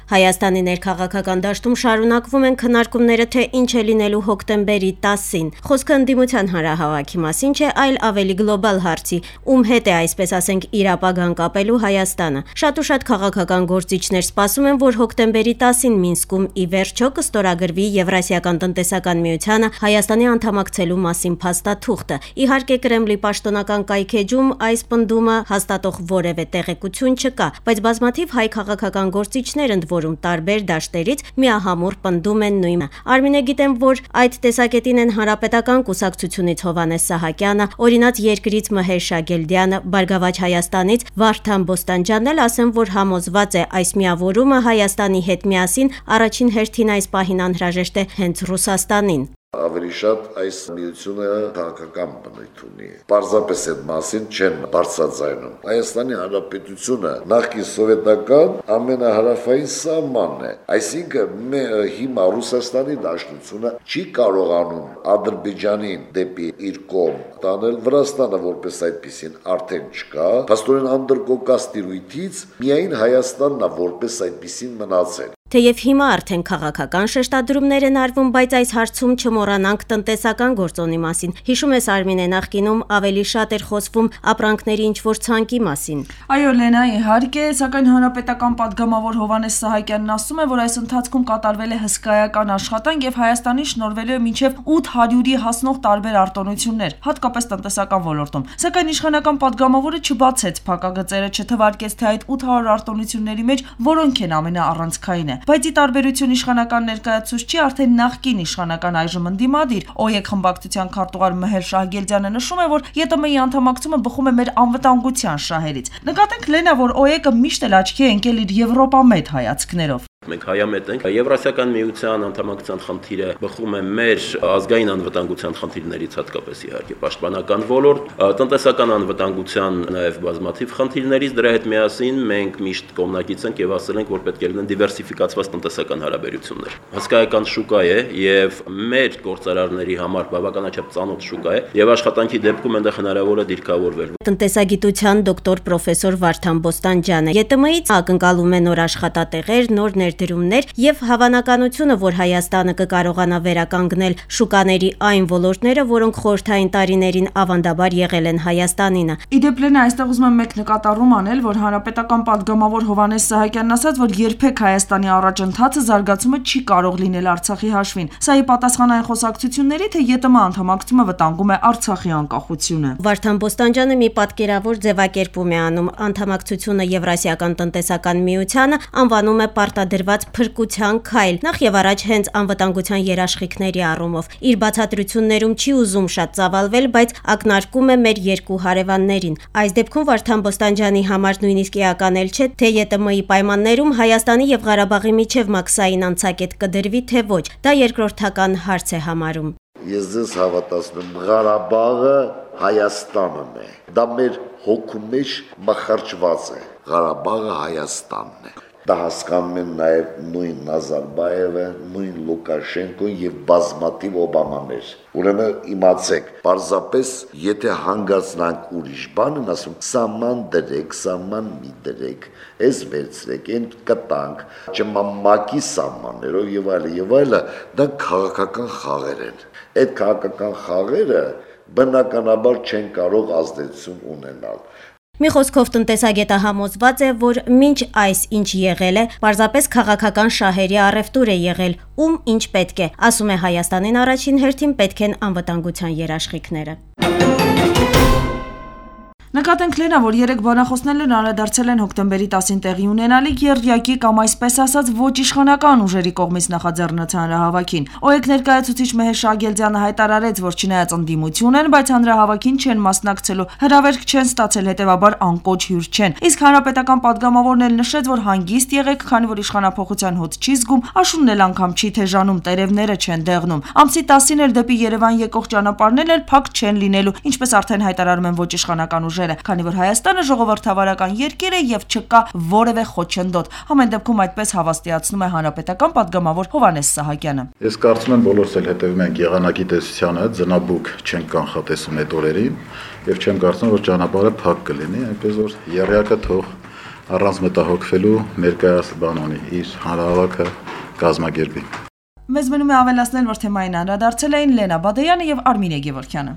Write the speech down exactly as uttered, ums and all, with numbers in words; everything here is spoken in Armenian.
Հայաստանի ներքաղաքական դաշտում շարունակվում են քննարկումները, թե ինչ է լինելու հոկտեմբերի տասին։ Խոսքը ընդդիմության հանրահավաքի մասին չէ, այլ ավելի գլոբալ հարցի, ում հետ է, այսպես ասենք, իր ապագան կապելու Հայաստանը։ Շատ ու շատ քաղաքական գործիչներ սպասում են, որ հոկտեմբերի տասին Մինսկում ի վերջո կստորագրվի Եվրասիական տնտեսական միությանը Հայաստանի անդամակցելու մասին փաստաթուղթը։ Իհարկե, Կրեմլի պաշտոնական կայքեջում այս պնդումը հաստատող որևէ տեղեկություն չկա, բայց բազմաթիվ հայ քաղաքական գործիչներ, ընդ որում տարբեր դաշտերից, միահամուռ պնդում են նույնը։ Արմինե, գիտեմ, որ այդ տեսակետին են Հանրապետական կուսակցությունից Հովհաննես Սահակյանը, Օրինաց երկրից Մհեր Շագելդյանը, Բարգավաճ Հայաստանից Վարդան Բոստանջյանն էլ ասեն, որ համոզված է այս միավորումը Հայաստանի հետ միասին առաջին հերթին այս պահին անհրաժեշտ է հենց Ռուսաստանին։ Ավելի շատ այս միությունը քաղաքական բնույթ ունի։ Պարզապես այդ մասին չեն բարձրաձայնում։ Հայաստանի Հանրապետությունը նախկին սովետական ամենահարավային սահմանն է։ Այսինքն հիմա Ռուսաստանի Դաշնությունը չի կարողանում Ադրբեջանին դեպի իր կողմ տանել, Վրաստանը որպես այդպեսին արդեն չկա։ Փաստորեն անդրկոկաս տիրույթից միայն Հայաստանն է որպես այդպեսին մնացել։ Թեև հիմա արդեն քաղաքական շեշտադրումներ են արվում, բայց այս հարցում չմոռանանք տնտեսական գործոնի մասին։ Հիշում ես, Արմինե, նախկինում ավելի շատ էր խոսվում ապրանքների ինչ-որ ցանկի մասին։ Այո, Լենա, իհարկե, սակայն հանրապետական պատգամավոր Հովհաննես Սահակյանն ասում է, որ այս ընթացքում կատարվել է հսկայական աշխատանք եւ Հայաստանին շնորհվելու է մինչեւ ութ հարյուրի հասնող տարբեր արտոնություններ, հատկապես տնտեսական ոլորտում։ Սակայն իշխանական պատգամավորը չբացեց փակագծերը, չթվարկեց, թե այդ ութ հարյուր արտոնությունների մեջ որոնք են ամենաառանցքայինը։ Բայց ի տարբերություն իշխանական ներկայացուցչի արդեն նախկին իշխանական այժմ ընդդիմադիր ՕԵԿ խմբակցության քարտուղար Մհեր Շահգելդյանը նշում է, որ ԵՏՄ-ի անդամակցումը բխում է մեր անվտանգության շահերից։ Նկատենք, Լենա, որ ՕԵԿ-ը միշտ էլ աչքի է ընկել իր եվրոպամետ հայացքներով։ Մենք հայամետ ենք, Եվրասիական միության անդամակցության խնդիրը բխում է մեր ազգային անվտանգության խնդիրներից, հատկապես իհարկե պաշտպանական ոլորտ, տնտեսական անվտանգության նաև բազմաթիվ խնդիրներից, դրա հետ միասին մենք միշտ կողմնակից ենք եւ ասել ենք, որ պետք է լինեն դիվերսիֆիկացված տնտեսական հարաբերություններ։ Հսկայական շուկա է եւ մեր գործարարների համար բավականաչափ ծանոթ շուկա է եւ աշխատանքի դեպքում այնտեղ հնարավոր է դիրքավորվել։ Տնտեսագիտության դոկտոր պրոֆեսոր Վարդան Բոստանջյանը ԵՏՄ-ից ակնկալում է նոր աշխատատեղեր, նոր ներդրումներ եւ հավանականությունը, որ Հայաստանը կկարողանա վերականգնել շուկաների այն ոլորտները, որոնք խորհրդային տարիներին ավանդաբար եղել են Հայաստանինը։ Իդեպ, Լենա, այստեղ ուզում եմ մեկ նկատառում անել, որ հանրապետական պատգամավոր Հովհաննես Սահակյանն ասաց, որ երբեք Հայաստանի առաջընթացը զարգացումը չի կարող լինել Արցախի հաշվին։ Սա ի պատասխան այն խոսակցությունների, թե ԵՏՄ անդամակցումը վտանգում է Արցախի անկախությունը։ Վարդան Բոստանջյանը մի պատկերավոր ձևակերպում է անում անդամակցությունը Եվրասիական տնտեսական միությանը, անվանում է պարտադրված փրկության քայլ, նախ եւ առաջ հենց անվտանգության երաշխիքների առումով։ Իր բացատրություններում չի ուզում շատ ծավալվել, բայց ակնարկում է մեր երկու հարևաններին։ Այս դեպքում Վարդան Բոստանջյանի համար նույնիսկ էական էլ չէ, թե ԵՏՄ-ի պայմաններում Հայաստանի եւ Ղարաբաղի միջև մաքսային անցակետ կդրվի, թե ոչ։ Դա երկրորդական հարց է համարում։ Ես ձեզ հավատացնում, Ղարաբաղը Հայաստանն է։ Դա մեր հոգու մեջ մխրճված է։ Ղարաբաղը Հայաստանն է։ Դա հասկանում են նաև նույն Նազարբայևը, նույն Լուկաշենկոն եւ բազմաթիվ Օբամաներ։ Ուրեմն իմացեք, պարզապես եթե հանգացնանք ուրիշ բան, ասում սահման դրեք, սահման մի դրեք, էս վերցրեք, այն կտանք, չմամակի սահմաններով եւ այլն եւ այլն, դա քաղաքական խաղեր են։ Այդ քաղաքական խաղերը բնականաբար չեն կարող ազդեցություն ունենալ։ Մի խոսքով տնտեսագետը համոզված է, որ մինչ այս ինչ եղել է, պարզապես քաղաքական շահերի առևտուր է եղել, ում ինչ պետք է, ասում է Հայաստանին առաջին հերթին պետք են անվտանգության երաշխիքները։ Նկատենք, Լենա, որ երեք բանախոսներն անդրադարձել են հոկտեմբերի տասին տեղի ունենալիք երդյակի կամ այսպես ասած ոչ իշխանական ուժերի կողմից նախաձեռնած հանրահավաքին։ ՕԵԿ ներկայացուցիչ Մհեր Շահգելդյանը հայտարարեց, որ չնայած ընդդիմություն են, բայց հանրահավաքին չեն մասնակցելու, հրավերք չեն ստացել, հետևաբար անկոչ հյուր չեն։ Իսկ հանրապետական պատգամավորն էլ նշեց, որ հանգիստ եղեք, քանի որ իշխանափոխության հոտ չի զգում, աշունն էլ անգամ չի թեժանում, տերևները չեն դեղնում։ Ամսի տասին էլ դեպի Երևան եկող ճանապարհներն էլ փակ չեն լինելու, ինչպես արդեն հայտարարում են ոչ իշխանական ուժերը, քանի որ Հայաստանը ժողովրդավարական երկիր է եւ չկա որևէ խոչընդոտ։ Ամեն դեպքում այդպես հավաստիացնում է հանրապետական պատգամավոր Հովհաննես Սահակյանը։ Ես կարծում եմ բոլորս էլ հետևում ենք եղանակի տեսությանը, ձնաբուկ չենք կանխատեսում այդ օրերին եւ չեմ կարծում, որ ճանապարհը փակ կլինի, այնպես որ եռյակը թող առանց մտահոգվելու ներկայաս բանոնի իր հանրահավաքը կազմակերպի։ Մեզ մնում է ավելացնել, որ թեմային անդրադարձել էին Լենա Բադեյանը եւ Արմինե Գևորգյանը։